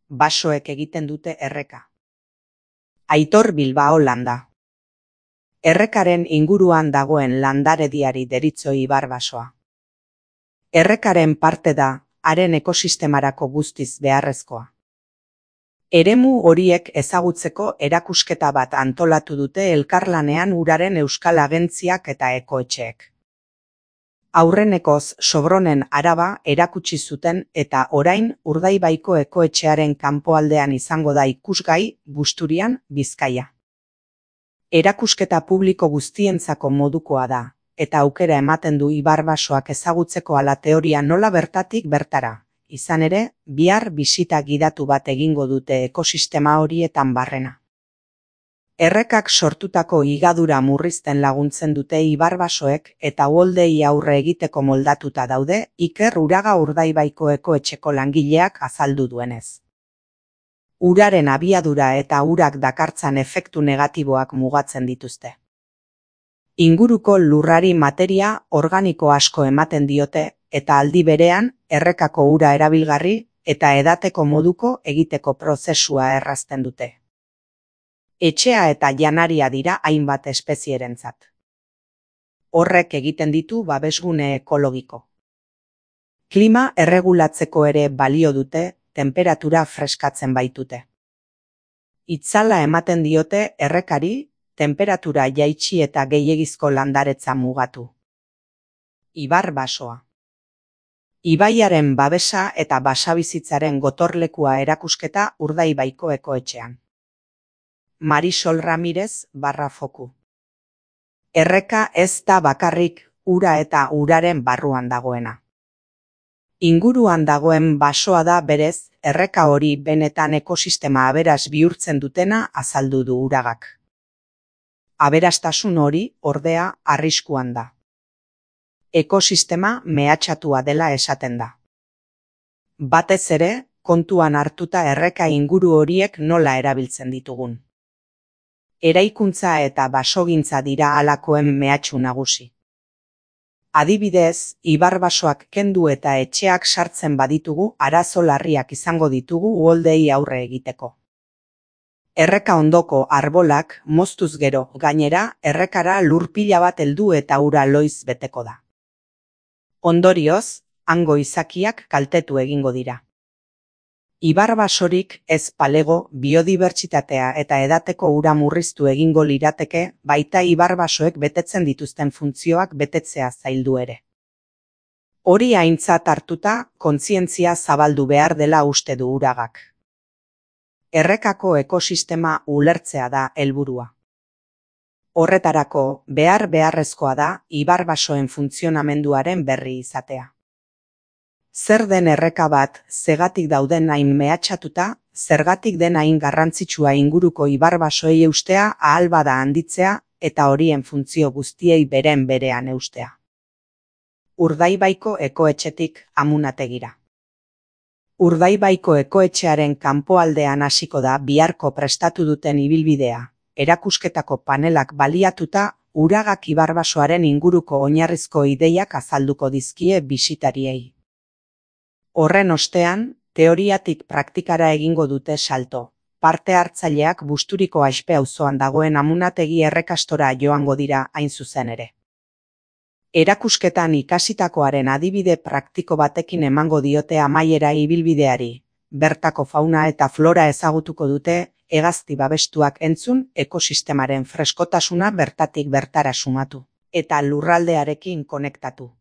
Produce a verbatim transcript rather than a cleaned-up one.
basoek egiten dute erreka. Aitor Bilbao landa. Errekaren inguruan dagoen landarediari deritzo ibar basoa. Errekaren parte da, haren ekosistemarako guztiz beharrezkoa. Eremu horiek ezagutzeko erakusketa bat antolatu dute elkarlanean uraren euskal agentziak eta ekoetxeek. Aurrenekoz Sobronen araba erakutsi zuten eta orain Urdaibaiko ekoetxearen kanpoaldean izango da ikusgai Busturian, Bizkaia. Erakusketa publiko guztientzako modukoa da, eta aukera ematen du ibar basoak ezagutzeko ala teoria nola bertatik bertara. Izan ere, bihar bisita gidatu bat egingo dute ekosistema horietan barrena. Errekak sortutako higadura murrizten laguntzen dute ibar basoek eta uholdei aurre egiteko moldatuta daude Iker Uraga Urdaibaiko ekoetxeko langileak azaldu duenez. Uraren abiadura eta urak dakartzan efektu negatiboak mugatzen dituzte. Inguruko lurrari materia organiko asko ematen diote eta aldi berean errekako ura erabilgarri eta edateko moduko egiteko prozesua errazten dute. Etxea eta janaria dira hainbat espezierentzat. Horrek egiten ditu babesgune ekologiko. Klima erregulatzeko ere balio dute, temperatura freskatzen baitute. Itzala ematen diote errekari, temperatura jaitsi eta gehiegizko landaretza mugatu. Ibar basoa. Ibaiaren babesa eta basabizitzaren gotorlekua erakusketa Urdaibaiko ekoetxean. Marisol Ramirez barra foku. Erreka ez da bakarrik ura eta uraren barruan dagoena. Inguruan dagoen basoa da berez, erreka hori benetan ekosistema aberas bihurtzen dutena azaldu du Uragak. Aberastasun hori, ordea, arriskuan da. Ekosistema mehatxatua dela esaten da. Batez ere, kontuan hartuta erreka inguru horiek nola erabiltzen ditugun. Eraikuntza eta basogintza dira halakoen mehatxu nagusi. Adibidez, ibar basoak kendu eta etxeak sartzen baditugu arazo larriak izango ditugu uholdei aurre egiteko. Erreka ondoko arbolak moztuz gero gainera errekara lur pila bat heldu eta ura loiz beteko da. Ondorioz, hango izakiak kaltetu egingo dira. Ibar basorik ez palego, biodibertsitatea eta edateko ura murriztu egingo lirateke, baita ibar basoek betetzen dituzten funtzioak betetzea zaildu ere. Hori aintzat hartuta, kontzientzia zabaldu behar dela uste du Uragak. Errekako ekosistema ulertzea da helburua. Horretarako, behar beharrezkoa da ibar basoen funtzionamenduaren berri izatea. Zer den erreka bat, zegatik dauden hain mehatxatuta, zergatik den hain garrantzitsua inguruko ibar basoei eustea ahal bada handitzea eta horien funtzio guztiei beren berean eustea. Urdaibaiko ekoetxetik Amunategira. Urdaibaiko ekoetxearen kanpoaldean hasiko da biharko prestatu duten ibilbidea, erakusketako panelak baliatuta Uragak ibar basoaren inguruko oinarrizko ideiak azalduko dizkie bisitariei. Horren ostean, teoriatik praktikara egingo dute salto. Parte hartzaileak Busturiko Aizpe auzoan dagoen Amunategi errekastora joango dira hain zuzen ere. Erakusketan ikasitakoaren adibide praktiko batekin emango diote amaiera ibilbideari. Bertako fauna eta flora ezagutuko dute, hegazti babestuak entzun, ekosistemaren freskotasuna bertatik bertara sumatu, eta lurraldearekin konektatu.